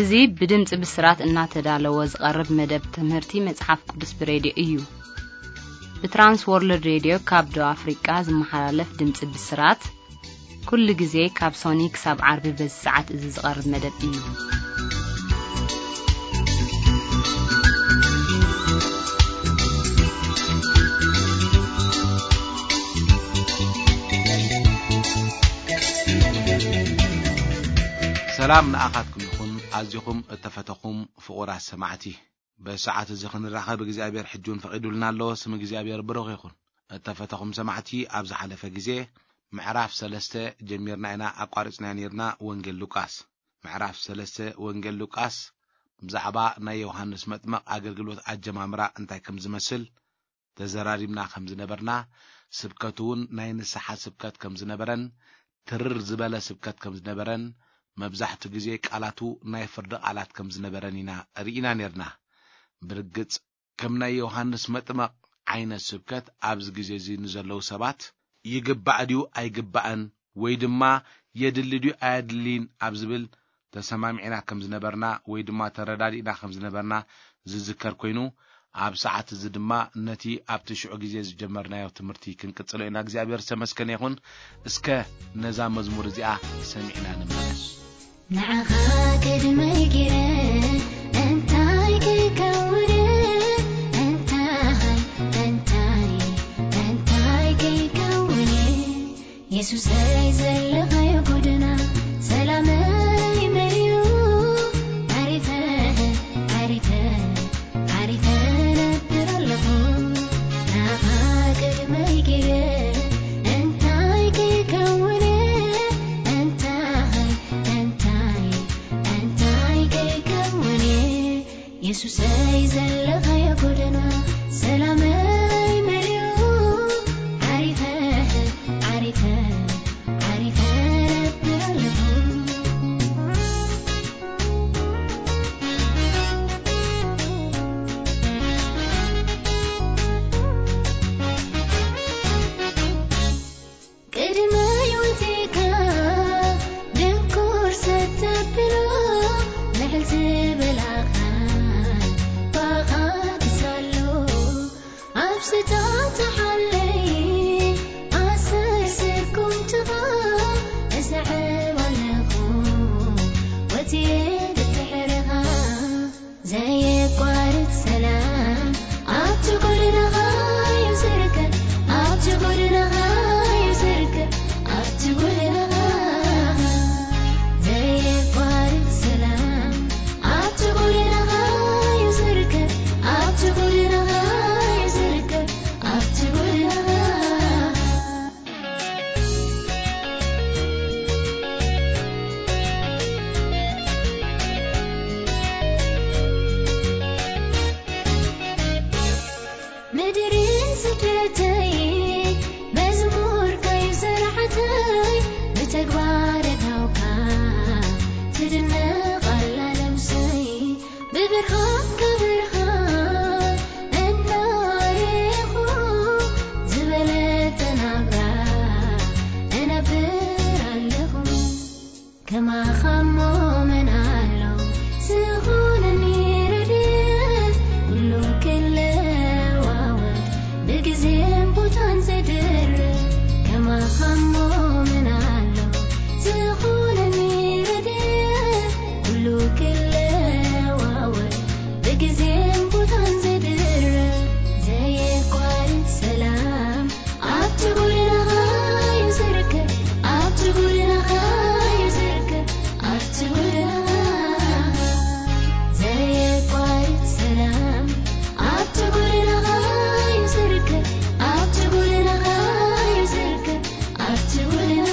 እዚ ብድምጺ ብስራት እናተዳለወ ዝቐርብ መደብ ትምህርቲ መጽሓፍ ቅዱስ ብሬድዮ እዩ። ብትራንስ ወርልድ ሬድዮ ካብ ደቡብ ኣፍሪቃ ዝመሓላለፍ ድምጺ ብስራት፣ ኩሉ ግዜ ካብ ሶኒ ክሳብ ዓርቢ በዚ ሰዓት እዚ ዝቐርብ መደብ እዩ። ሰላም ንኣኻትኩም ይኹን፣ ኣዚኹም እተፈተኹም ፍቑራት ሰማዕቲ። በዚ ሰዓት እዚ ክንራኸብ እግዚኣብሔር ሕጂ እውን ፈቒዱልና ኣሎ። ስም እግዚኣብሔር ብሩኽ ይኹን። እተፈተኹም ሰማዕቲ፣ ኣብ ዝሓለፈ ግዜ ምዕራፍ ሰለስተ ጀሚርና ኢና ኣቋሪጽናዮ ነይርና። ወንጌል ሉቃስ ምዕራፍ ሰለስተ፣ ወንጌል ሉቃስ ብዛዕባ ናይ ዮሃንስ መጥመቕ ኣገልግሎት ኣጀማምራ እንታይ ከም ዝመስል ተዘራሪብና ከም ዝነበርና፣ ስብከቱ እውን ናይ ንስሓ ስብከት ከም ዝነበረን ትርር ዝበለ ስብከት ከም ዝነበረን፣ መብዛሕቱ ግዜ ቃላቱ ናይ ፍርዲ ቃላት ከም ዝነበረን ኢና ርኢና ነርና። ብርግጽ ከም ናይ ዮሃንስ መጥመቕ ዓይነት ስብከት ኣብዚ ግዜ እዚ ንዘለዉ ሰባት ይግባእ ድዩ ኣይግባእን፣ ወይ ድማ የድሊ ድዩ ኣየድልይን ኣብ ዝብል ተሰማሚዕና ከም ዝነበርና ወይ ድማ ተረዳዲእና ከም ዝነበርና ዝዝከር ኮይኑ፣ ኣብ ሰዓት እዚ ድማ ነቲ ኣብቲ ሽዑ ግዜ ዝጀመርናዮ ትምህርቲ ክንቅጽሎ ኢና። እግዚኣብሔር ዝተመስገነ ይኹን። እስከ ነዛ መዝሙር እዚኣ ሰሚዕና ንመለስ። ንዓኻ ቅድመይ ገይረ እንታይ ከይከውን፣ እንታይ፣ እንታይ፣ እንታይ ከይከውን፣ የሱሰይ ዘለኻዮ ጎደና ሰላመይ መሊኡ፣ ዓሪፈ፣ ዓሪፈ፣ ዓሪፈ ነብር ኣለኹ። ንዓኻ ቅድመይ ገይረ እንታይ ከይከውን፣ እንታይ፣ እንታይ፣ እንታይ ከይከውን፣ የሱሰይ ዘለኻዮ ጎደና ሰላመይ መሊኡ፣ ዓሪፈ፣ ዓሪፈ፣ ዓሪፈ ነብር ኣለኹ። ቅድመይ ወጺእካ ድንኩር ሰብ ተብሎ፣ ልዕል ዝበላኻ ባኻ ክሳሎ፣ ኣብ ስታ ተሓለይ ኣሰር ስጉምትኻ እስዕብ ኣለኹ፣ ወጺኤ ድድሕርኻ። ዘየቋርጽ ሰላም ኣብቲ ጎደናኻ እዩ ዝርከብ፣ ኣብቲ ጎደናኻ እዩ ዝርከብ፣ ኣብቲ ጎደናኻ። ዘየቋርጽ ሰላም ኣብቲ ጎደናኻ እዩ ዝርከብ፣ ኣብቲ ጎደናኻ እዩ ዝርከብ፣ ኣብቲ ጎደናኻ። ምድርን ስደተይ መዝሙርካይ ዘርዓተይ፣ ብተግባር እታውካ ትድነቕ ኣላ ነብሰይ። ብብርሃንካ ብርሃን እናረኹ፣ ዝበለጸ ናብራ እነብር ኣለኹ። ከማኻ እሞ መን ኣሎ ዝኾነኒ ረድኤት፣ ኩሉ ክለዋወጥ ብግዜን ቦታን ዝድርብ። ከማኻ እሞ መን ኣሎ ዝኾነኒ ረድኤት፣ ኩሉ ክለዋወጥ ብግዜን ቦታን ዝድርብ። ዘየቋርጽ ሰላም ኣብቲ ጎደናኻ እዩ ዝርከብ፣ ኣብቲ ጎደናኻ እዩ ዝርከብ፣ ኣብቲ ጎደናኻ። ዘየቋርጽ ሰላም ኣብቲ ጎደናኻ እዩ ዝርከብ፣ ኣብቲ ጎደናኻ እዩ ዝርከብ፣ ኣብቲ ጎደናኻ።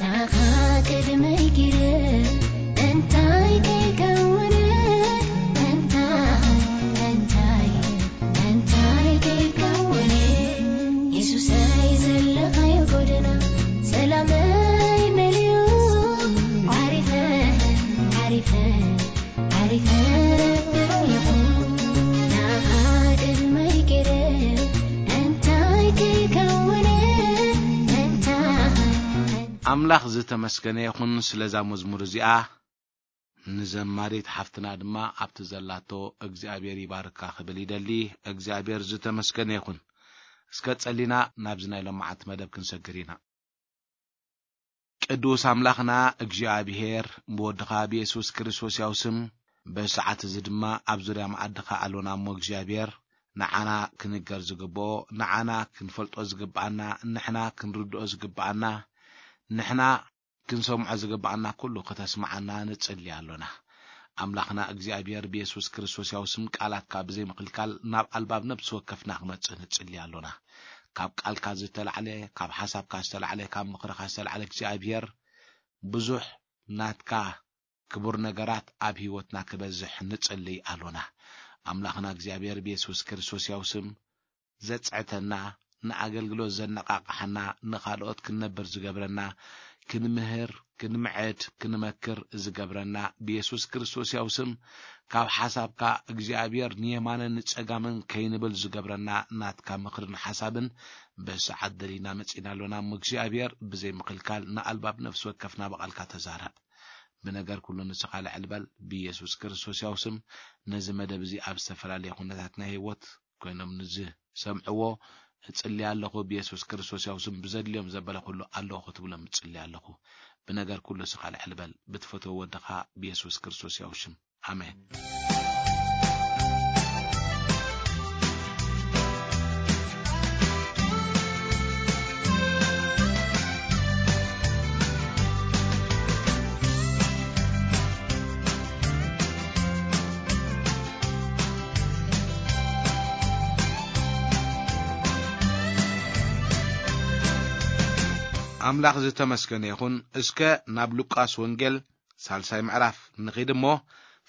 ንዓኻ ቅድመይ ገይረ ኣምላኽ ዝተመስገነ ይኹን ስለዛ መዝሙር እዚኣ። ንዘማሪት ሓፍትና ድማ ኣብቲ ዘላቶ እግዚኣብሔር ይባርካ ክብል ይደሊ። እግዚኣብሔር ዝተመስገነ ይኹን። እስከ ጸሊና ናብዚ ናይ ሎማዓንቲ መደብ ክንሰግር ኢና። ቅዱስ ኣምላኽና እግዚኣብሔር፣ ብወድኻ ብየሱስ ክርስቶስ ያው ስም፣ በዚ ሰዓት እዚ ድማ ኣብ ዙርያ መኣድኻ ኣሎና እሞ እግዚኣብሔር፣ ንዓና ክንገር ዝግብኦ፣ ንዓና ክንፈልጦ ዝግብኣና፣ ንሕና ክንርድኦ ዝግብኣና፣ ንሕና ክንሰምዖ ዝግብኣና ኩሉ ክተስምዓና ንጽሊ ኣሎና። ኣምላኽና እግዚኣብሔር፣ ብየሱስ ክርስቶስ ያው ስም ቃላትካ ብዘይ ምክልካል ናብ ኣልባብ ነብሲ ወከፍና ክመጽእ ንጽሊ ኣሎና። ካብ ቃልካ ዝተላዕለ፣ ካብ ሓሳብካ ዝተላዕለ፣ ካብ ምኽርኻ ዝተላዕለ እግዚኣብሔር፣ ብዙሕ ናትካ ክቡር ነገራት ኣብ ህይወትና ክበዝሕ ንጽሊ ኣሎና። ኣምላኽና እግዚኣብሔር፣ ብየሱስ ክርስቶስ ያው ስም፣ ዘጽዕተና፣ ንኣገልግሎት ዘነቓቕሓና፣ ንኻልኦት ክንነብር ዝገብረና፣ ክንምህር፣ ክንምዕድ፣ ክንመክር ዝገብረና፣ ብየሱስ ክርስቶስ ያው ስም፣ ካብ ሓሳብካ እግዚኣብሔር ንየማንን ንጸጋምን ከይንብል ዝገብረና ናትካ ምኽርን ሓሳብን በዚ ሰዓት ደሊና መጺና ኣሎና። እሞ እግዚኣብሔር ብዘይ ምኽልካል ንኣልባብ ነፍሲ ወከፍና ብቓልካ ተዛረብ። ብነገር ኩሉ ንስኻ ልዕል በል። ብየሱስ ክርስቶስ ያው ስም ነዚ መደብ እዚ ኣብ ዝተፈላለየ ኩነታት ናይ ህይወት ኮይኖም ንዝሰምዕዎ እጽሊ ኣለኹ። ብየሱስ ክርስቶስ ያው ስም ብዘድልዮም ዘበለ ኩሉ ኣለኹ ክትብሎም እጽሊ ኣለኹ። ብነገር ኩሉ ንስኻ ልዕል በል። ብትፈትዎ ወድኻ ብየሱስ ክርስቶስ ያው ሽም። ኣሜን። ኣምላኽ ዝተመስገነ ይኹን። እስከ ናብ ሉቃስ ወንጌል ሳልሳይ ምዕራፍ ንኺድ እሞ፣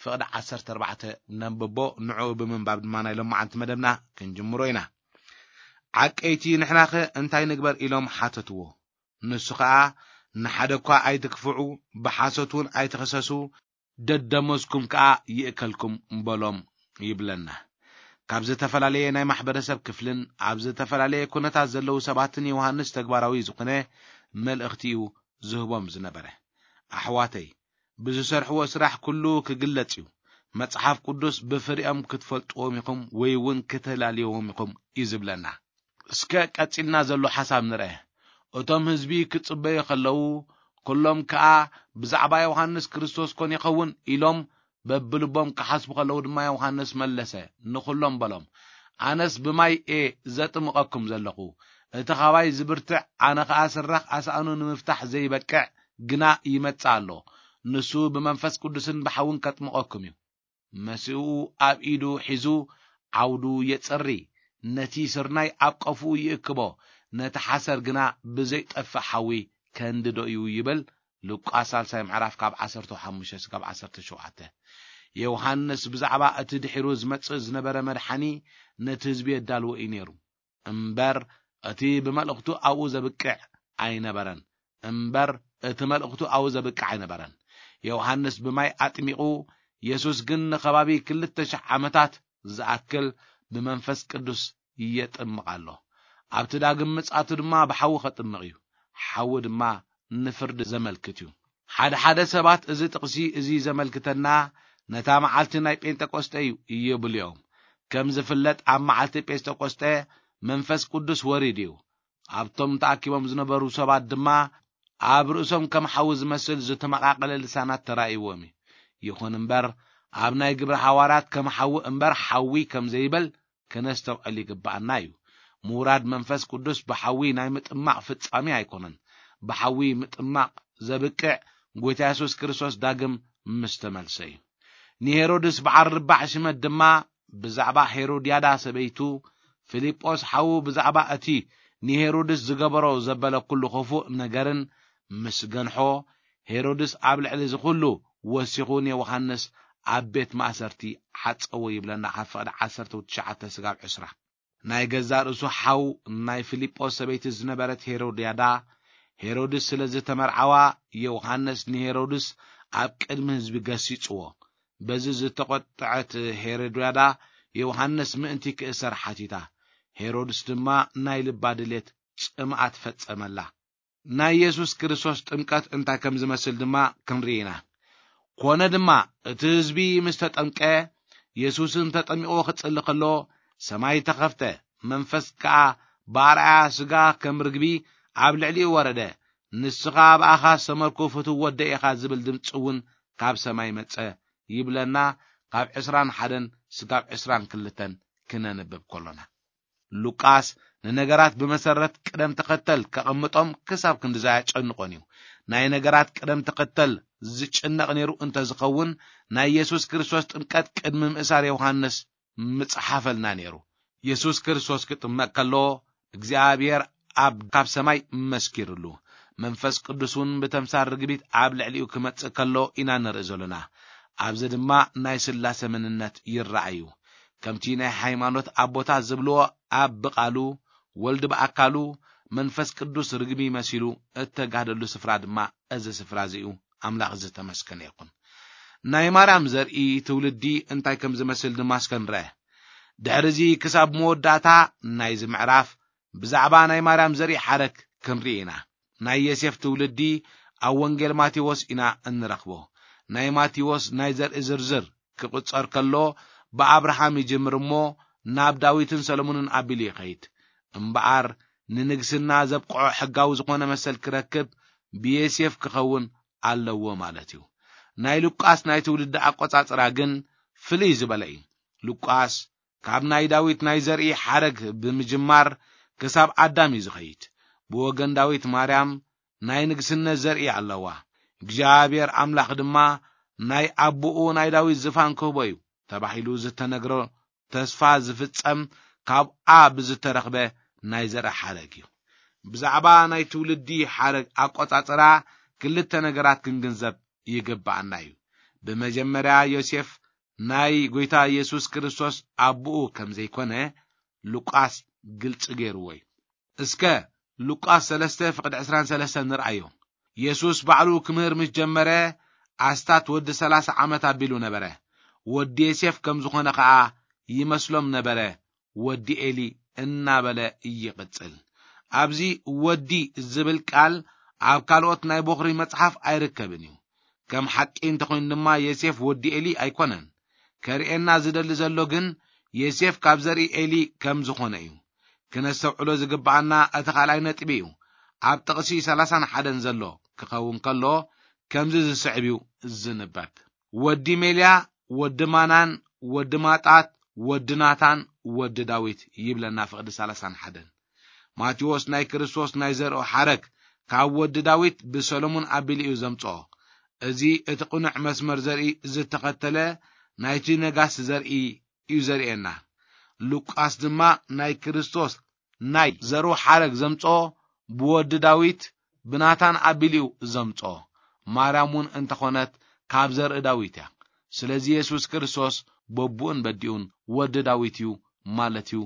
ፍቕዲ ዓሰርተ ኣርባዕተ ነንብቦ። ንዕኡ ብምንባብ ድማ ናይ ሎማዓንቲ መደብና ክንጅምሮ ኢና። ዓቀይቲ፣ ንሕናኸ እንታይ ንግበር? ኢሎም ሓተትዎ። ንሱ ኸኣ፣ ንሓደ እኳ ኣይትክፍዑ፣ ብሓሶት እውን ኣይትኸሰሱ፣ ደደሞዝኩም ከኣ ይእከልኩም በሎም ይብለና። ካብ ዝተፈላለየ ናይ ማሕበረሰብ ክፍልን ኣብ ዝተፈላለየ ኩነታት ዘለዉ ሰባትን ዮሃንስ ተግባራዊ ዝኾነ መልእኽቲ እዩ ዝህቦም ዝነበረ። ኣሕዋተይ፣ ብዝሰርሕዎ ስራሕ ኩሉ ክግለጽ እዩ። መጽሓፍ ቅዱስ ብፍሪኦም ክትፈልጥዎም ኢኹም ወይ እውን ክተላልይዎም ኢኹም እዩ ዝብለና። እስከ ቀጺልና ዘሎ ሓሳብ ንርአ። እቶም ህዝቢ ክጽበዩ ከለዉ፣ ኩሎም ከኣ ብዛዕባ ዮሃንስ ክርስቶስ ኮን ይኸውን ኢሎም በብልቦም ክሓስቡ ከለዉ ድማ ዮሃንስ መለሰ፣ ንኹሎም በሎም፣ ኣነስ ብማይ እየ ዘጥምቐኩም ዘለኹ። እቲ ኻባይ ዝብርትዕ፣ ኣነ ኸኣ ስራኽ ኣሳእኑ ንምፍታሕ ዘይበቅዕ ግና ይመጽእ ኣሎ። ንሱ ብመንፈስ ቅዱስን ብሓውን ከጥምቐኩም እዩ። መሲኡ ኣብ ኢዱ ሒዙ ዓውዱ የጽሪ። ነቲ ስርናይ ኣብ ቀፍኡ ይእክቦ፣ ነቲ ሓሰር ግና ብዘይጠፍእ ሓዊ ከንድዶ እዩ ይብል። ሉቃስ ሳልሳይ ምዕራፍ ካብ ዓሰርተ ሓሙሽተ እስካብ ዓሰርተ ሸውዓተ። ዮሃንስ ብዛዕባ እቲ ድሒሩ ዝመጽእ ዝነበረ መድሓኒ ነቲ ህዝቢ የዳልዎ እዩ ነይሩ። እምበር እቲ ብመልእኽቱ ኣብኡ ዘብቅዕ ኣይነበረን። እምበር እቲ መልእኽቱ ኣብኡ ዘብቅዕ ኣይነበረን። ዮሃንስ ብማይ ኣጥሚቑ፣ የሱስ ግን ንኸባቢ ክልተ ሽሕ ዓመታት ዝኣክል ብመንፈስ ቅዱስ የጥምቕ ኣሎ። ኣብቲ ዳግም ምጽኣቱ ድማ ብሓዊ ከጥምቕ እዩ። ሓዊ ድማ ንፍርዲ ዘመልክት እዩ። ሓደ ሓደ ሰባት እዚ ጥቕሲ እዚ ዘመልክተና ነታ መዓልቲ ናይ ጴንጠቆስጠ እዩ ይብሉ እዮም። ከም ዝፍለጥ ኣብ መዓልቲ ጴንጠቆስጠ መንፈስ ቅዱስ ወሪዱ እዩ። ኣብቶም ተኣኪቦም ዝነበሩ ሰባት ድማ ኣብ ርእሶም ከም ሓዊ ዝመስል ዝተመቓቐለ ልሳናት ተራእይዎም እዩ። ይኹን እምበር ኣብ ናይ ግብሪ ሃዋርያት ከም ሓዊ እምበር ሓዊ ከም ዘይበል ከነስተውዕል ይግብኣና እዩ። ምውራድ መንፈስ ቅዱስ ብሓዊ ናይ ምጥማቕ ፍጻሜ ኣይኮነን። ብሓዊ ምጥማቕ ዘብቅዕ ጎይታ የሱስ ክርስቶስ ዳግም ምስ ተመልሰ እዩ። ንሄሮድስ በዓል ርባዕ ሽመት ድማ ብዛዕባ ሄሮድያዳ ሰበይቱ፣ ፊልጶስ ሓዉ ብዛዕባ እቲ ንሄሮድስ ዝገበሮ ዘበለ ኩሉ ኽፉእ ነገርን ምስ ገንሖ፣ ሄሮድስ ኣብ ልዕሊ እዚ ኩሉ ወሲኹ ንዮሃንስ ኣብ ቤት ማእሰርቲ ዓጸዎ ይብለና፣ ካብ ፍቕዲ ዓሰርተ ትሽዓተ ስጋብ ዕስራ። ናይ ገዛእ ርእሱ ሓው ናይ ፊልጶስ ሰበይቲ ዝነበረት ሄሮድያዳ፣ ሄሮድስ ስለ ዝተመርዓዋ፣ ዮሃንስ ንሄሮድስ ኣብ ቅድሚ ህዝቢ ገሲጽዎ። በዚ ዝተቖጥዐት ሄሮድያዳ፣ ዮሃንስ ምእንቲ ክእሰር ሓቲታ። ሄሮድስ ድማ ናይ ልባ ድሌት ጽምኣት ፈጸመላ። ናይ የሱስ ክርስቶስ ጥምቀት እንታይ ከም ዝመስል ድማ ክንርኢ ኢና። ኮነ ድማ፣ እቲ ህዝቢ ምስ ተጠምቀ፣ የሱስን ተጠሚቑ ክጽሊ ከሎ፣ ሰማይ ተኸፍተ፣ መንፈስ ከኣ ብኣርኣያ ስጋ ከም ርግቢ ኣብ ልዕሊኡ ወረደ። "ንስኻ ብኣኻ ሰመርኩ፣ ፍቱው ወደ ኢኻ" ዝብል ድምጺ እውን ካብ ሰማይ መጸ ይብለና፣ ካብ ዕስራን ሓደን ስጋብ ዕስራን ክልተን ክነንብብ ከሎና። ሉቃስ ንነገራት ብመሰረት ቅደም ተኸተል ከቐምጦም ክሳብ ክንድዛ ኣየጨንቆን እዩ። ናይ ነገራት ቅደም ተኸተል ዝጭነቕ ነይሩ እንተዝኸውን፣ ናይ የሱስ ክርስቶስ ጥምቀት ቅድሚ ምእሳር ዮሃንስ ምጽሓፈልና ነይሩ። የሱስ ክርስቶስ ክጥመቕ ከሎ፣ እግዚኣብሔር ኣብ ካብ ሰማይ መስኪርሉ፣ መንፈስ ቅዱስ እውን ብተምሳል ርግቢት ኣብ ልዕሊኡ ክመጽእ ከሎ ኢና ንርኢ ዘሎና። ኣብዚ ድማ ናይ ስላሴ መንነት ይረኣዩ። ከምቲ ናይ ሃይማኖት ኣቦታት ዝብልዎ፣ ኣብ ብቓሉ፣ ወልድ ብኣካሉ፣ መንፈስ ቅዱስ ርግቢ መሲሉ እተጋደሉ ስፍራ ድማ እዚ ስፍራ እዚ እዩ። ኣምላኽ ዝተመስገነ ይኹን። ናይ ማርያም ዘርኢ ትውልዲ እንታይ ከም ዝመስል ድማ እስከ ንርአ። ድሕሪ እዚ ክሳብ መወዳእታ ናይዚ ምዕራፍ ብዛዕባ ናይ ማርያም ዘርኢ ሓረግ ክንርኢ ኢና። ናይ ዮሴፍ ትውልዲ ኣብ ወንጌል ማቴዎስ ኢና እንረኽቦ። ናይ ማቴዎስ ናይ ዘርኢ ዝርዝር ክቕጸር ከሎ፣ ብኣብርሃም ይጅምር እሞ ናብ ዳዊትን ሰሎሞንን ኣቢሉ ይኸይድ። እምበኣር፣ ንንግስና ዘብቅዖ ሕጋዊ ዝኾነ መሰል ክረክብ ብዮሴፍ ክኸውን ኣለዎ ማለት እዩ። ናይ ሉቃስ ናይ ትውልዲ ኣቆጻጽራ ግን ፍልይ ዝበለ እዩ። ሉቃስ ካብ ናይ ዳዊት ናይ ዘርኢ ሓረግ ብምጅማር ክሳብ ኣዳም እዩ ዝኸይድ። ብወገን ዳዊት ማርያም ናይ ንግስነት ዘርኢ ኣለዋ። እግዚኣብሔር ኣምላኽ ድማ ናይ ኣቦኡ ናይ ዳዊት ዝፋን ክህቦ እዩ ተባሂሉ ዝተነግሮ ተስፋ ዝፍጸም ካብኣ ብዝተረኽበ ናይ ዘርኢ ሓረግ እዩ። ብዛዕባ ናይ ትውልዲ ሓረግ ኣቆጻጽራ ክልተ ነገራት ክንግንዘብ ይግብኣና እዩ። ብመጀመርያ፣ ዮሴፍ ናይ ጐይታ የሱስ ክርስቶስ ኣቦኡ ከም ዘይኮነ ሉቃስ ግልጺ ገይርዎ እዩ። እስከ ሉቃስ ሰለስተ ፍቕዲ ዕስራን ሰለስተን ንርኣዮ። የሱስ ባዕሉ ክምህር ምስ ጀመረ፣ ኣስታት ወዲ ሰላሳ ዓመት ኣቢሉ ነበረ። ወዲ ዮሴፍ ከም ዝኾነ ኸኣ ይመስሎም ነበረ፣ ወዲ ኤሊ እናበለ ይቕጽል። ኣብዚ ወዲ ዝብል ቃል ኣብ ካልኦት ናይ ቦኽሪ መጽሓፍ ኣይርከብን እዩ። ከም ሓቂ እንተኾይኑ ድማ፣ ዮሴፍ ወዲ ኤሊ ኣይኮነን። ከርእየና ዝደሊ ዘሎ ግን፣ ዮሴፍ ካብ ዘርኢ ኤሊ ከም ዝኾነ እዩ። ክነስተውዕሎ ዝግብኣና እቲ ካልኣይ ነጥቢ እዩ። ኣብ ጥቕሲ ሰላሳን ሓደን ዘሎ ክኸውን ከሎ፣ ከምዚ ዝስዕብ እዩ ዝንበብ። "ወዲ ሜልያ፣ ወዲ ማናን፣ ወዲ ማጣት፣ ወዲ ናታን፣ ወዲ ዳዊት" ይብለና ፍቕዲ ሰላሳን ሓደን። ማቴዎስ ናይ ክርስቶስ ናይ ዘርኡ ሓረግ ካብ ወዲ ዳዊት ብሰሎሞን ኣቢሉ እዩ ዘምጽኦ። እዚ እቲ ቅኑዕ መስመር ዘርኢ ዝተኸተለ ናይቲ ነጋሲ ዘርኢ እዩ ዘርእየና። ሉቃስ ድማ ናይ ክርስቶስ ናይ ዘርኡ ሓረግ ዘምጽኦ ብወዲ ዳዊት ብናታን ኣቢሉ እዩ ዘምጽኦ። ማርያም እውን እንተኾነት ካብ ዘርኢ ዳዊት እያ። ስለዚ የሱስ ክርስቶስ በቡኡን በዲኡን ወዲ ዳዊት እዩ ማለት እዩ።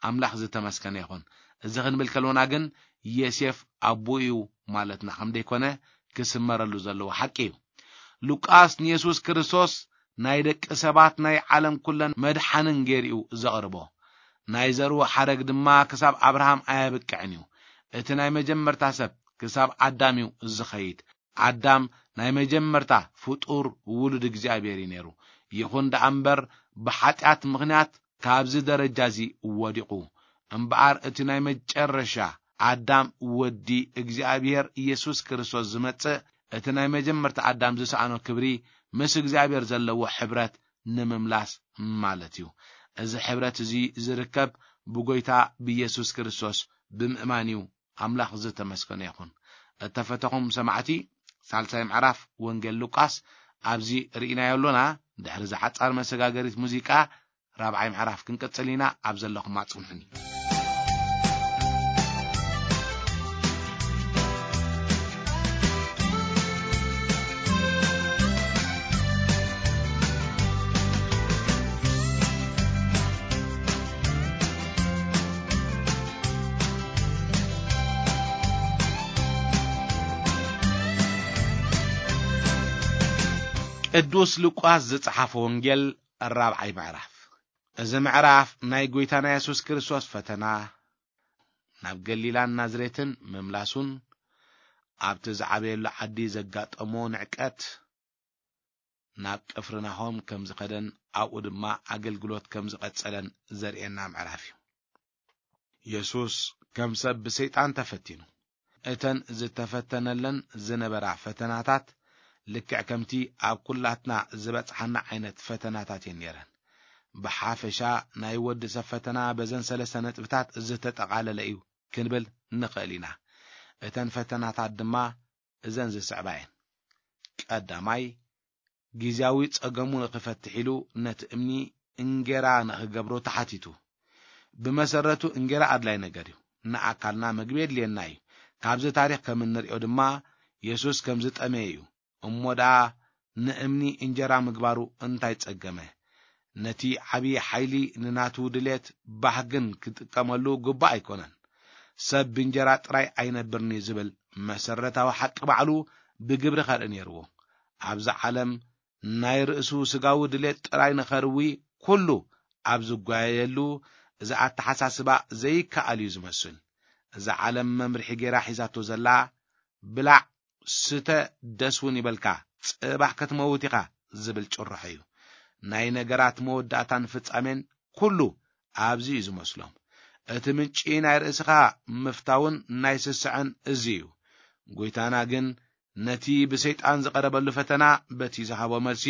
ኣምላኽ ዝተመስገነ ይኹን። እዚ ክንብል ከሎና ግን ዮሴፍ ኣቦኡ እዩ ማለትና ከም ዘይኮነ ክስመረሉ ዘለዎ ሓቂ እዩ። ሉቃስ ንየሱስ ክርስቶስ ናይ ደቂ ሰባት ናይ ዓለም ኩለን መድሓንን ገይሩ እዩ ዘቕርቦ። ናይ ዘርኡ ሓረግ ድማ ክሳብ ኣብርሃም ኣየብቅዕን እዩ። እቲ ናይ መጀመርታ ሰብ ክሳብ ኣዳም እዩ ዝኸይድ። ኣዳም ናይ መጀመርታ ፍጡር ውሉድ እግዚኣብሔር እዩ ነይሩ። ይኹን ደኣ እምበር፣ ብሓጢኣት ምኽንያት ካብዚ ደረጃ እዚ ወዲቑ። እምበኣር፣ እቲ ናይ መጨረሻ ኣዳም፣ ወዲ እግዚኣብሔር ኢየሱስ ክርስቶስ ዝመጽእ፣ እቲ ናይ መጀመርታ ኣዳም ዝሰኣኖ ክብሪ፣ ምስ እግዚኣብሔር ዘለዎ ሕብረት ንምምላስ ማለት እዩ። እዚ ሕብረት እዚ ዝርከብ ብጎይታ ብኢየሱስ ክርስቶስ ብምእማን እዩ። ኣምላኽ ዝተመስገነ ይኹን። እተፈተኹም ሰማዕቲ፣ ሳልሳይ ምዕራፍ ወንጌል ሉቃስ ኣብዚ ርኢናዮ ኣሎና። ድሕሪ እዛ ሓጻር መሰጋገሪት ሙዚቃ፣ ራብዓይ ምዕራፍ ክንቅጽል ኢና። ኣብ ዘለኹም ኣጽንሑኒ። ቅዱስ ሉቃስ ዝጸሓፎ ወንጌል፣ ራብዓይ ምዕራፍ። እዚ ምዕራፍ ናይ ጐይታና የሱስ ክርስቶስ ፈተና፣ ናብ ገሊላን ናዝሬትን ምምላሱን፣ ኣብቲ ዝዓበየሉ ዓዲ ዘጋጠሞ ንዕቀት፣ ናብ ቅፍርናሆም ከም ዝኸደን ኣብኡ ድማ ኣገልግሎት ከም ዝቐጸለን ዘርእየና ምዕራፍ እዩ። የሱስ ከም ሰብ ብሰይጣን ተፈቲኑ። እተን ዝተፈተነለን ዝነበራ ፈተናታት ልክዕ ከምቲ ኣብ ኩላትና ዝበጽሓና ዓይነት ፈተናታት እየን ነይረን። ብሓፈሻ ናይ ወዲ ሰብ ፈተና በዘን ሰለስተ ነጥብታት ዝተጠቓለለ እዩ ክንብል ንኽእል ኢና። እተን ፈተናታት ድማ እዘን ዝስዕባ እየን። ቀዳማይ፣ ግዝያዊ ጸገሙ ንኽፈትሕ ኢሉ ነቲ እምኒ እንጌራ ንኽገብሮ ተሓቲቱ። ብመሰረቱ እንጌራ ኣድላይ ነገር እዩ። ንኣካልና ምግቢ የድልየና እዩ። ካብዚ ታሪኽ ከም እንርእዮ ድማ የሱስ ከም ዝጠመየ እዩ። እሞ ደኣ ንእምኒ እንጀራ ምግባሩ እንታይ ጸገመ? ነቲ ዓብዪ ሓይሊ ንናቱ ድሌት ባህግን ክጥቀመሉ ግቡእ ኣይኮነን። ሰብ ብእንጀራ ጥራይ ኣይነብርን'ዩ ዝብል መሰረታዊ ሓቂ ባዕሉ ብግብሪ ከርኢ ነይርዎ። ኣብዚ ዓለም ናይ ርእሱ ስጋዊ ድሌት ጥራይ ንኸርዊ ኩሉ ኣብ ዝጓየየሉ፣ እዚ ኣተሓሳስባ ዘይከኣል እዩ ዝመስል። እዛ ዓለም መምርሒ ጌራ ሒዛቶ ዘላ፣ ብላዕ፣ ስተ፣ ደስ እውን ይበልካ፣ ጽባሕ ክትመውት ኢኻ ዝብል ጭርሖ እዩ። ናይ ነገራት መወዳእታን ፍጻሜን ኩሉ ኣብዚ እዩ ዝመስሎም። እቲ ምንጪ ናይ ርእስኻ ምፍታውን ናይ ስስዐን እዚ እዩ። ጎይታና ግን ነቲ ብሰይጣን ዝቐረበሉ ፈተና በቲ ዝሃቦ መልሲ፣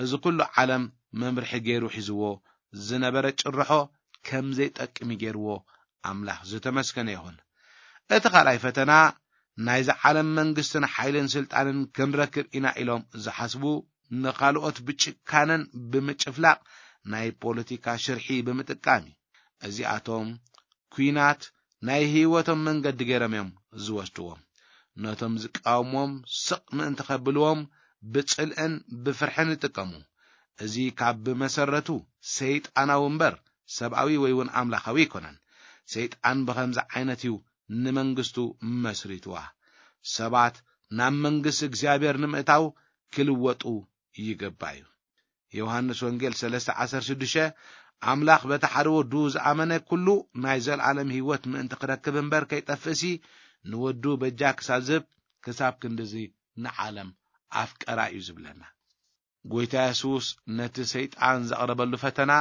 እዚ ኩሉ ዓለም መምርሒ ገይሩ ሒዝዎ ዝነበረ ጭርሖ ከም ዘይጠቅም ገይርዎ ኣምላኽ ዝተመስገነ ይኹን። እቲ ካልኣይ ፈተና ናይዚ ዓለም መንግስትን ሓይልን ስልጣንን ክንረክብ ኢና ኢሎም ዝሓስቡ ንኻልኦት ብጭካነን ብምጭፍላቕ ናይ ፖለቲካ ሽርሒ ብምጥቃም እዩ። እዚኣቶም ኲናት ናይ ህይወቶም መንገዲ ገይሮም እዮም ዝወስድዎም። ነቶም ዝቃወምዎም ስቕ ምእንቲ ከብልዎም ብጽልእን ብፍርሕን ይጥቀሙ። እዚ ካብ ብመሰረቱ ሰይጣናዊ እምበር ሰብኣዊ ወይ እውን ኣምላኻዊ ኣይኮነን። ሰይጣን ብኸምዚ ዓይነት እዩ ንመንግስቱ መስሪትዋ። ሰባት ናብ መንግስቲ እግዚኣብሔር ንምእታው ክልወጡ ይግባእ እዩ። ዮሃንስ ወንጌል ሰለስተ ዓሰርተ ሽዱሽተ፣ ኣምላኽ በቲ ሓደ ወዱ ዝኣመነ ኩሉ ናይ ዘለኣለም ህይወት ምእንቲ ክረክብ እምበር ከይጠፍእሲ፣ ንወዱ በጃ ክሳብ ዝህብ፣ ክሳብ ክንድዚ ንዓለም ኣፍቀራ እዩ ዝብለና። ጎይታ የሱስ ነቲ ሰይጣን ዘቕረበሉ ፈተና፣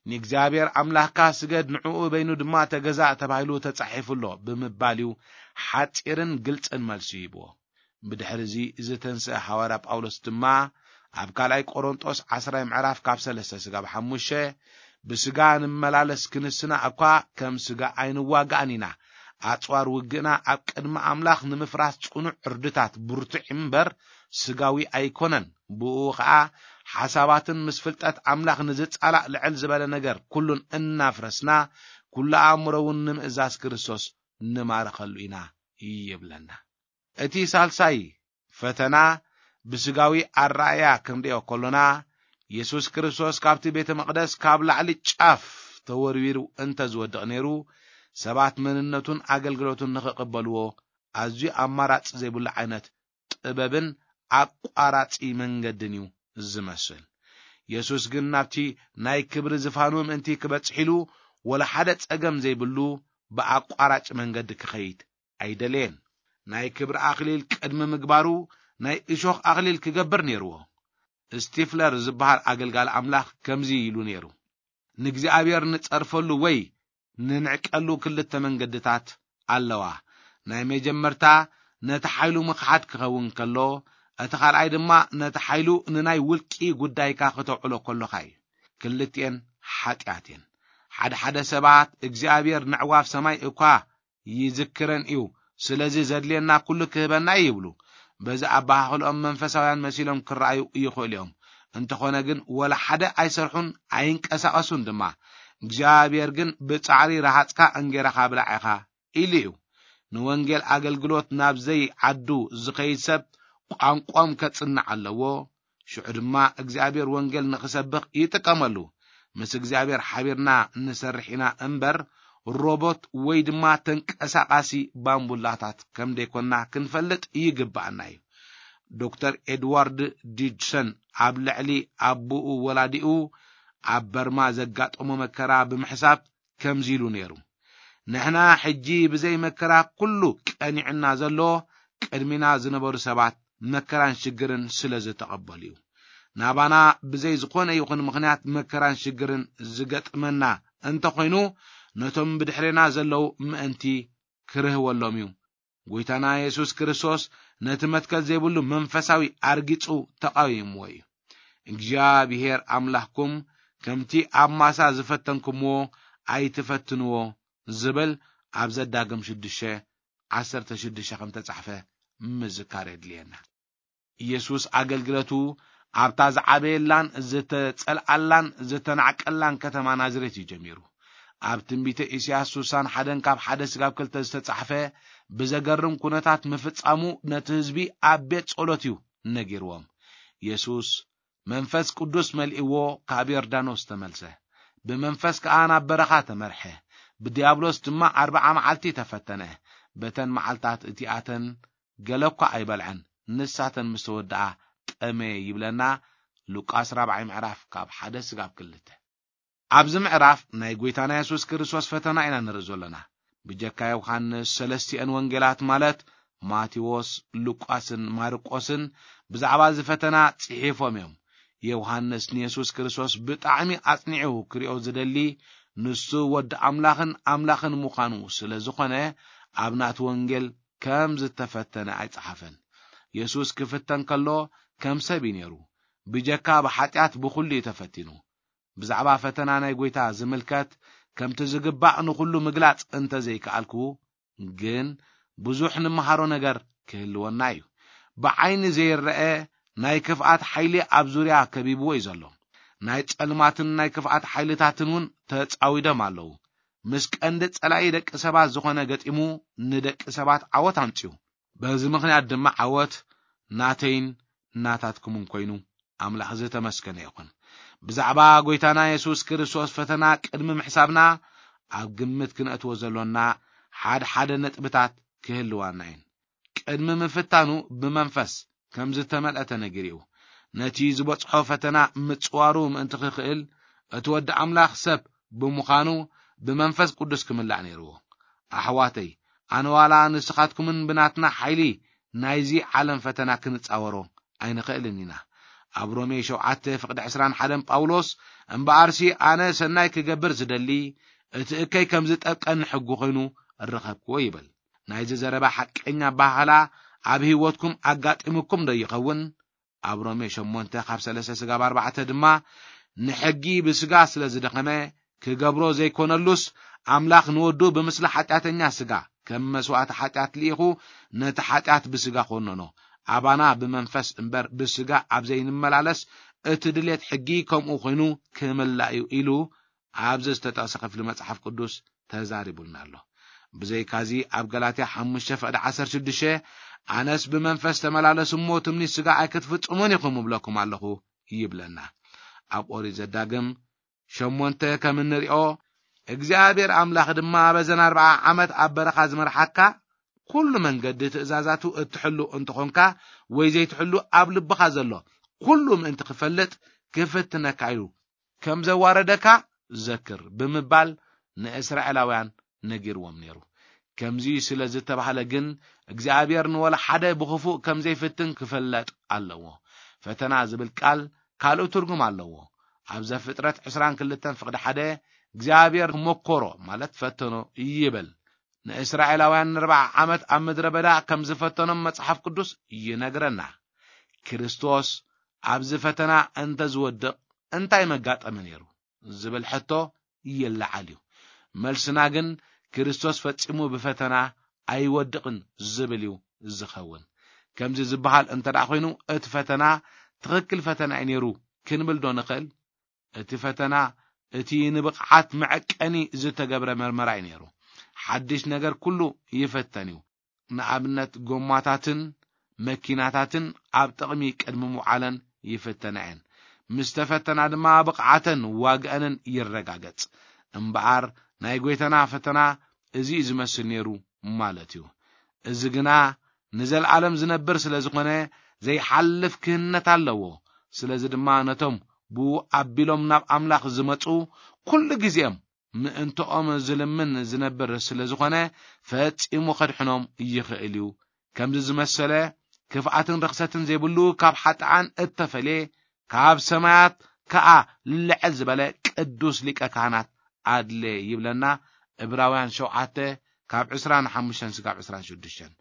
"ንእግዚኣብሔር ኣምላኽካ ስገድ፣ ንዕኡ በይኑ ድማ ተገዛእ ተባሂሉ ተጻሒፉ ኣሎ" ብምባል እዩ ሓጺርን ግልጽን መልሲ ሂብዎ። ብድሕሪ እዚ ዝተንስአ ሃዋርያ ጳውሎስ ድማ ኣብ ካልኣይ ቆሮንጦስ ዓስራይ ምዕራፍ ካብ ሰለስተ ስጋብ ሓሙሽተ፣ "ብስጋ ንመላለስ ክንስና እኳ ከም ስጋ ኣይንዋጋእን ኢና። ኣጽዋር ውግእና ኣብ ቅድሚ ኣምላኽ ንምፍራስ ጽኑዕ ዕርድታት ብርቱዕ እምበር ስጋዊ ኣይኮነን። ብኡ ኸኣ ሓሳባትን ምስ ፍልጠት ኣምላኽ ንዝጻላእ ልዕል ዝበለ ነገር ኩሉን እናፍረስና ኩሉ ኣእምሮ እውን ንምእዛዝ ክርስቶስ ንማርኸሉ ኢና" ይብለና። እቲ ሳልሳይ ፈተና ብስጋዊ ኣረኣእያ ክንርእዮ ከሎና፣ የሱስ ክርስቶስ ካብቲ ቤተ መቕደስ ካብ ላዕሊ ጫፍ ተወርዊሩ እንተ ዝወድቕ ነይሩ፣ ሰባት መንነቱን ኣገልግሎቱን ንኽቕበልዎ ኣዝዩ ኣማራጺ ዘይብሉ ዓይነት ጥበብን ኣቋራጺ መንገድን እዩ ዝመስል። የሱስ ግን ናብቲ ናይ ክብሪ ዝፋኑ ምእንቲ ክበጽሕ ኢሉ፣ ወላ ሓደ ጸገም ዘይብሉ ብኣቋራጭ መንገዲ ክኸይድ ኣይደለየን። ናይ ክብሪ ኣኽሊል ቅድሚ ምግባሩ ናይ እሾኽ ኣኽሊል ክገብር ነይርዎ። ስቲፍለር ዝበሃል ኣገልጋሊ ኣምላኽ ከምዚ ኢሉ ነይሩ፣ "ንእግዚኣብሔር ንጸርፈሉ ወይ ንንዕቀሉ ክልተ መንገድታት ኣለዋ። ናይ መጀመርታ ነቲ ሓይሉ ምኽሓድ ክኸውን ከሎ፣ እቲ ካልኣይ ድማ ነቲ ሓይሉ ንናይ ውልቂ ጉዳይካ ክተውዕሎ ከሎኻ እዩ። ክልቲኤን ሓጢኣት እየን። ሓደ ሓደ ሰባት እግዚኣብሔር ነዕዋፍ ሰማይ እኳ ይዝክረን እዩ፣ ስለዚ ዘድልየና ኩሉ ክህበና እዩ" ይብሉ። በዚ ኣበሃህልኦም መንፈሳውያን መሲሎም ክረኣዩ ይኽእሉ እዮም። እንተኾነ ግን ወላ ሓደ ኣይሰርሑን ኣይንቀሳቐሱን ድማ። እግዚኣብሔር ግን "ብጻዕሪ ረሃጽካ እንጌራኻ ብላዕ ኢኻ" ኢሉ እዩ። ንወንጌል ኣገልግሎት ናብ ዘይዓዱ ዝኸይድ ሰብ ቋንቋኦም ከጽንዕ ኣለዎ። ሽዑ ድማ እግዚኣብሔር ወንጌል ንኽሰብኽ ይጥቀመሉ። ምስ እግዚኣብሔር ሓቢርና ንሰርሕ ኢና እምበር፣ ሮቦት ወይ ድማ ተንቀሳቓሲ ባምቡላታት ከም ደይኮንና ክንፈልጥ ይግብኣና እዩ። ዶክተር ኤድዋርድ ዲጅሰን ኣብ ልዕሊ ኣቦኡ ወላዲኡ ኣብ በርማ ዘጋጠሞ መከራ ብምሕሳብ ከምዚ ኢሉ ነይሩ፣ "ንሕና ሕጂ ብዘይ መከራ ኩሉ ቀኒዕና ዘሎ ቅድሚና ዝነበሩ ሰባት መከራን ሽግርን ስለ ዝተቐበሉ እዩ። ናባና ብዘይ ዝኾነ ይኹን ምኽንያት መከራን ሽግርን ዝገጥመና እንተኾይኑ፣ ነቶም ብድሕሬና ዘለዉ ምእንቲ ክርህወሎም እዩ። ጎይታና የሱስ ክርስቶስ ነቲ መትከል ዘይብሉ መንፈሳዊ ኣርጊጹ ተቓዊምዎ እዩ። እግዚኣብሔር ኣምላኽኩም ከምቲ ኣብ ማሳ ዝፈተንኩምዎ ኣይትፈትንዎ ዝብል ኣብ ዘዳግም ሽዱሽተ ዓሰርተ ሽዱሽተ ከም ተጻሕፈ ምዝካር የድልየና። ኢየሱስ ኣገልግለቱ ኣብታ ዝዓበየላን ዝተጸልኣላን ዝተናዕቀላን ከተማ ናዝሬት እዩ ጀሚሩ። ኣብ ትንቢተ ኢሳያስ ስሳን ሓደን ካብ ሓደ ስጋብ ክልተ ዝተጻሕፈ ብዘገርም ኩነታት ምፍጻሙ ነቲ ህዝቢ ኣብ ቤት ጸሎት እዩ ነጊርዎም። ኢየሱስ መንፈስ ቅዱስ መልእዎ ካብ ዮርዳኖስ ተመልሰ። ብመንፈስ ከኣ ናብ በረኻ ተመርሐ። ብዲያብሎስ ድማ ኣርብዓ መዓልቲ ተፈተነ። በተን መዓልታት እቲኣተን ገለ እኳ ኣይበልዐን። ንሳተን ምስ ተወድኣ ጠመየ ይብለና። ሉቃስ ራብዓይ ምዕራፍ ካብ ሓደ ስጋብ ክልተ። ኣብዚ ምዕራፍ ናይ ጎይታና የሱስ ክርስቶስ ፈተና ኢና ንርኢ ዘለና። ብጀካ ዮሃንስ ሰለስቲአን ወንጌላት ማለት ማቴዎስ፣ ሉቃስን ማርቆስን ብዛዕባ እዚ ፈተና ጽሒፎም እዮም። ዮሃንስ ንየሱስ ክርስቶስ ብጣዕሚ ኣጽኒዑ ክሪኦ ዝደሊ ንሱ ወዲ ኣምላኽን ኣምላኽን ምዃኑ ስለ ዝኾነ ኣብ ናቱ ወንጌል ከም ዝተፈተነ ኣይጸሓፈን። የሱስ ክፍተን ከሎ ከም ሰብ እዩ ነይሩ። ብጀካ ብሓጢኣት ብኹሉ እዩ ተፈቲኑ። ብዛዕባ ፈተና ናይ ጎይታ ዝምልከት ከምቲ ዝግባእ ንኹሉ ምግላጽ እንተ ዘይከኣልኩ፣ ግን ብዙሕ ንምሃሮ ነገር ክህልወና እዩ። ብዓይኒ ዘይረአ ናይ ክፍኣት ሓይሊ ኣብ ዙርያ ከቢብዎ እዩ ዘሎ። ናይ ጸልማትን ናይ ክፍኣት ሓይልታትን እውን ተጻዊዶም ኣለዉ። ምስ ቀንዲ ጸላኢ ደቂ ሰባት ዝኾነ ገጢሙ ንደቂ ሰባት ዓወት ኣምጺኡ። በዚ ምኽንያት ድማ ዓወት ናተይን ናታትኩምን ኮይኑ ኣምላኽ ዝተመስገነ ይኹን። ብዛዕባ ጎይታና የሱስ ክርስቶስ ፈተና ቅድሚ ምሕሳብና ኣብ ግምት ክነእትዎ ዘሎና ሓደ ሓደ ነጥብታት ክህልዋና እየን። ቅድሚ ምፍታኑ ብመንፈስ ከም ዝተመልአ ተነጊሩ እዩ። ነቲ ዝበጽሖ ፈተና ምጽዋሩ ምእንቲ ክኽእል እቲ ወዲ ኣምላኽ ሰብ ብምዃኑ ብመንፈስ ቅዱስ ክምላእ ነይርዎ። ኣሕዋተይ፣ ኣነ ዋላ ንስኻትኩምን ብናትና ሓይሊ ናይዚ ዓለም ፈተና ክንጻወሮ ኣይንኽእልን ኢና። ኣብ ሮሜ ሸውዓተ ፍቕዲ ዕስራን ሓደን ጳውሎስ፣ እምበኣርሲ ኣነ ሰናይ ክገብር ዝደሊ፣ እቲ እከይ ከም ዝጠብቀኒ ሕጊ ኮይኑ እረኸብክዎ ይብል። ናይዚ ዘረባ ሓቀኛ ኣበሃህላ ኣብ ህይወትኩም ኣጋጢሙኩም ዶ ይኸውን? ኣብ ሮሜ ሸሞንተ ካብ ሰለስተ ስጋብ ኣርባዕተ ድማ፣ ንሕጊ ብስጋ ስለ ዝደኸመ ክገብሮ ዘይኮነሉስ፣ ኣምላኽ ንወዱ ብምስሊ ሓጢኣተኛ ስጋ ከም መስዋእቲ ሓጢኣት ልኢኹ ነቲ ሓጢኣት ብስጋ ኮነኖ። ኣባና ብመንፈስ እምበር ብስጋ ኣብ ዘይንመላለስ፣ እቲ ድሌት ሕጊ ከምኡ ኮይኑ ክምላእ እዩ ኢሉ ኣብዚ ዝተጠቕሰ ክፍሊ መጽሓፍ ቅዱስ ተዛሪቡልና ኣሎ። ብዘይካዚ ኣብ ገላትያ ሓሙሽተ ፍቕዲ ዓሰርተ ሽዱሽተ፣ ኣነስ ብመንፈስ ተመላለሱ እሞ ትምኒት ስጋ ኣይክትፍጽሙን ኢኹም እብለኩም ኣለኹ ይብለና። ኣብ ኦሪት ዘዳግም ሸሞንተ ከም እንሪኦ፣ እግዚኣብሔር ኣምላኽ ድማ በዘን ኣርብዓ ዓመት ኣብ በረኻ ዝመርሓካ ኩሉ መንገዲ ትእዛዛቱ እትሕሉ እንተኾንካ ወይ ዘይትሕሉ ኣብ ልብኻ ዘሎ ኩሉ ምእንቲ ክፈልጥ ክፍትነካ ኢሉ ከም ዘዋረደካ ዘክር ብምባል ንእስራኤላውያን ነጊርዎም ነይሩ። ከምዚ ስለ ዝተባህለ ግን እግዚኣብሔር ንወላ ሓደ ብኽፉእ ከም ዘይፍትን ክፍለጥ ኣለዎ። ፈተና ዝብል ቃል ካልእ ትርጉም ኣለዎ። ኣብ ዘፍጥረት ዕስራን ክልተን ፍቕዲ ሓደ እግዚኣብሔር መኮሮ ማለት ፈተኖ ይብል። ንእስራኤላውያን ንኣርብዓ ዓመት ኣብ ምድረ በዳ ከም ዝፈተኖም መጽሓፍ ቅዱስ ይነግረና። ክርስቶስ ኣብዚ ፈተና እንተ ዝወድቕ እንታይ መጋጠመ ነይሩ ዝብል ሕቶ ይለዓል እዩ። መልስና ግን ክርስቶስ ፈጺሙ ብፈተና ኣይወድቕን ዝብል እዩ ዝኸውን። ከምዚ ዝበሃል እንተ ደኣ ኮይኑ እቲ ፈተና ትኽክል ፈተና እዩ ነይሩ ክንብል ዶ ንኽእል? እቲ ፈተና እቲ ንብቕዓት መዐቀኒ ዝተገብረ መርመራ እዩ ነይሩ። ሓድሽ ነገር ኩሉ ይፈተን እዩ። ንኣብነት ጎማታትን መኪናታትን ኣብ ጥቕሚ ቅድሚ ምውዓለን ይፍተና እየን። ምስ ተፈተና ድማ ብቕዓተን ዋግአንን ይረጋገጽ። እምበኣር ናይ ጎይታና ፈተና እዚ እዩ ዝመስል ነይሩ ማለት እዩ። እዚ ግና ንዘለኣለም ዝነብር ስለ ዝኾነ ዘይሓልፍ ክህነት ኣለዎ። ስለዚ ድማ ነቶም ብኡ ኣቢሎም ናብ ኣምላኽ ዝመጹ ኩሉ ግዜኦም ምእንትኦም ዝልምን ዝነብር ስለ ዝኾነ ፈጺሙ ከድሕኖም ይኽእል እዩ ከምዚ ዝመሰለ ክፍኣትን ርኽሰትን ዘይብሉ ካብ ሓጥኣን እተፈልየ ካብ ሰማያት ከኣ ልዕል ዝበለ ቅዱስ ሊቀ ካህናት ኣድለ ይብለና። ዕብራውያን ሸውዓተ ካብ ዕስራን ሓሙሽተን ስጋብ ዕስራን ሽዱሽተን።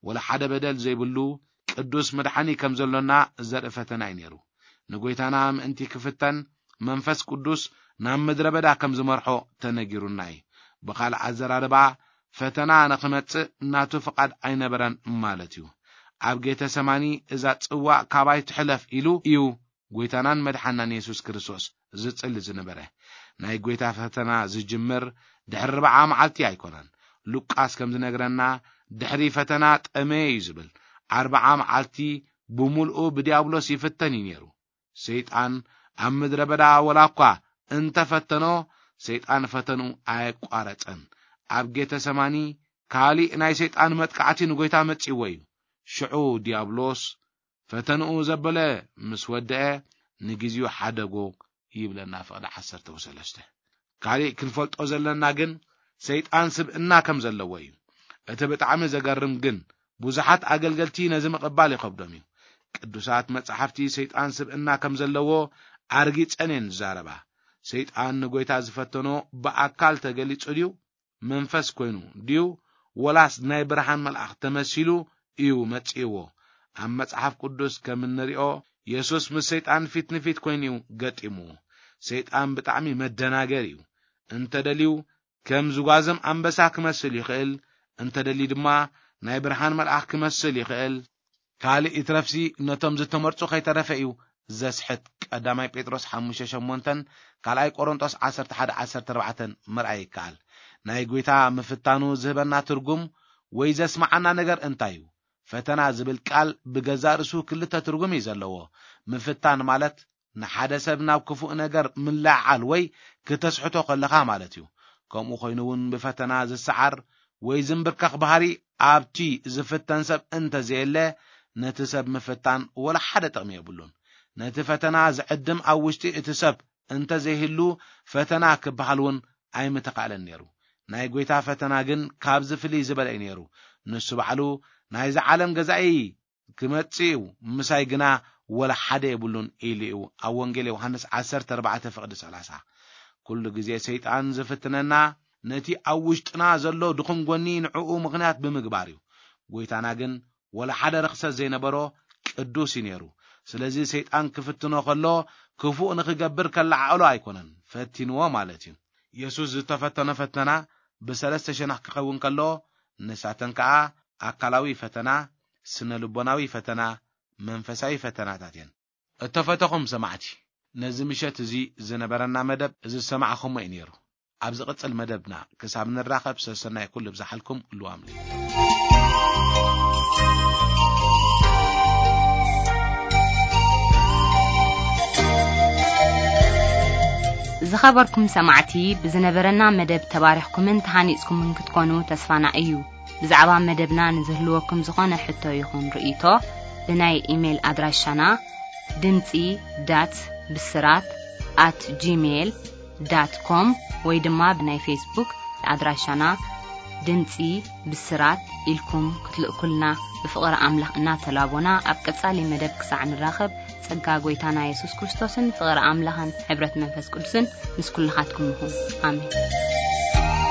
ወላ ሓደ በደል ዘይብሉ ቅዱስ መድሓኒ ከም ዘሎና ዘርኢ ፈተና እዩ ነይሩ። ንጎይታና ምእንቲ ክፍተን መንፈስ ቅዱስ ናብ ምድረ በዳ ከም ዝመርሖ ተነጊሩና እዩ። ብኻልእ ኣዘራርባ ፈተና ንኽመጽእ ናቱ ፍቓድ ኣይነበረን ማለት እዩ። ኣብ ጌተሰማኒ እዛ ጽዋእ ካባይ ትሕለፍ ኢሉ እዩ ጎይታናን መድሓናን የሱስ ክርስቶስ ዝጽሊ ዝነበረ። ናይ ጎይታ ፈተና ዝጅምር ድሕሪ ኣርብዓ መዓልቲ ኣይኮነን። ሉቃስ ከም ዝነግረና ድሕሪ ፈተና ጠመየ እዩ ዝብል። ኣርብዓ መዓልቲ ብምልኡ ብዲያብሎስ ይፍተን እዩ ነይሩ። ሰይጣን ኣብ ምድረ በዳ ወላ እኳ እንተፈተኖ፣ ሰይጣን ፈተኑ ኣየቋረጸን። ኣብ ጌተሰማኒ ካሊእ ናይ ሰይጣን መጥቃዕቲ ንጎይታ መጺእዎ እዩ። ሽዑ ዲያብሎስ ፈተንኡ ዘበለ ምስ ወደአ ንግዜኡ ሓደጎ ይብለና ፍቕዲ ዓሰርተ ወሰለስተ። ካሊእ ክንፈልጦ ዘለና ግን ሰይጣን ስብእና ከም ዘለዎ እዩ። እቲ ብጣዕሚ ዘገርም ግን ብዙሓት ኣገልገልቲ ነዚ ምቕባል ይኸብዶም እዩ። ቅዱሳት መጻሕፍቲ ሰይጣን ስብእና ከም ዘለዎ ኣርጊጸን እየን ዝዛረባ። ሰይጣን ንጎይታ ዝፈተኖ ብኣካል ተገሊጹ ድዩ? መንፈስ ኮይኑ ድዩ? ወላስ ናይ ብርሃን መልኣኽ ተመሲሉ እዩ መጺእዎ? ኣብ መጽሓፍ ቅዱስ ከም እንሪኦ የሱስ ምስ ሰይጣን ፊት ንፊት ኮይኑ እዩ ገጢምዎ። ሰይጣን ብጣዕሚ መደናገር እዩ። እንተደልዩ ከም ዝጓዝም ኣንበሳ ክመስል ይኽእል፣ እንተደልዩ ድማ ናይ ብርሃን መልኣኽ ክመስል ይኽእል። ካልእ ይትረፍሲ ነቶም ዝተመርጹ ከይተረፈ እዩ ዘስሕት። ቀዳማይ ጴጥሮስ ሓሙሽተ ሸሞንተን ካልኣይ ቆሮንጦስ ዓሰርተ ሓደ ዓሰርተ ኣርባዕተን ምርኣይ ይከኣል። ናይ ጐይታ ምፍታኑ ዝህበና ትርጉም ወይ ዘስምዓና ነገር እንታይ እዩ? ፈተና ዝብል ቃል ብገዛእ ርእሱ ክልተ ትርጉም እዩ ዘለዎ። ምፍታን ማለት ንሓደ ሰብ ናብ ክፉእ ነገር ምልዕዓል ወይ ክተስሕቶ ከለኻ ማለት እዩ። ከምኡ ኮይኑ እውን ብፈተና ዝሰዓር ወይ ዝንብርከኽ ባህሪ ኣብቲ ዝፍተን ሰብ እንተዘየለ፣ ነቲ ሰብ ምፍታን ወላ ሓደ ጥቕሚ የብሉን። ነቲ ፈተና ዝዕድም ኣብ ውሽጢ እቲ ሰብ እንተዘይህሉ፣ ፈተና ክበሃል እውን ኣይምተኻእለን ነይሩ። ናይ ጐይታ ፈተና ግን ካብዚ ፍልይ ዝበለ እዩ ነይሩ። ንሱ ባዕሉ ናይዚ ዓለም ገዛኢ ክመጽእ እዩ፣ ምሳይ ግና ወላ ሓደ የብሉን ኢሉ እዩ። ኣብ ወንጌል ዮሃንስ ዓሰርተ ኣርባዕተ ፍቕዲ ሰላሳ። ኩሉ ግዜ ሰይጣን ዝፍትነና ነቲ ኣብ ውሽጥና ዘሎ ድኹም ጎኒ ንዕኡ ምኽንያት ብምግባር እዩ። ጐይታና ግን ወላ ሓደ ርኽሰት ዘይነበሮ ቅዱስ እዩ ነይሩ። ስለዚ ሰይጣን ክፍትኖ ከሎ ክፉእ ንኽገብር ከለዓዕሎ ኣይኮነን ፈቲንዎ ማለት እዩ። የሱስ ዝተፈተኖ ፈተና ብሰለስተ ሸነኽ ክኸውን ከሎ፣ ንሳተን ከኣ ኣካላዊ ፈተና፣ ስነ ልቦናዊ ፈተና፣ መንፈሳዊ ፈተናታት እየን። እተፈተኹም ሰማዕቲ፣ ነዚ ምሸት እዚ ዝነበረና መደብ እዚ ዝሰማዕኹሞ እዩ ነይሩ። ኣብ ዝቕጽል መደብና ክሳብ ንራኸብ ሰሰናይ ኩሉ ብዝሓልኩም ልዋም። ዝኸበርኩም ሰማዕቲ፣ ብዝነበረና መደብ ተባሪኽኩምን ተሃኒጽኩምን ክትኮኑ ተስፋና እዩ። ብዛዕባ መደብና ንዝህልወኩም ዝኾነ ሕቶ ይኹን ርእይቶ፣ ብናይ ኢሜይል ኣድራሻና ድምጺ ዳት ብስራት ኣት ጂሜይል ዳት ኮም ወይ ድማ ብናይ ፌስቡክ ኣድራሻና ድምጺ ብስራት ኢልኩም ክትልእኩልና ብፍቕሪ ኣምላኽ እናተላቦና፣ ኣብ ቀጻሊ መደብ ክሳዕ ንራኸብ፣ ጸጋ ጐይታና የሱስ ክርስቶስን ፍቕሪ ኣምላኽን ሕብረት መንፈስ ቅዱስን ምስ ኩልኻትኩም ይኹን። ኣሜን።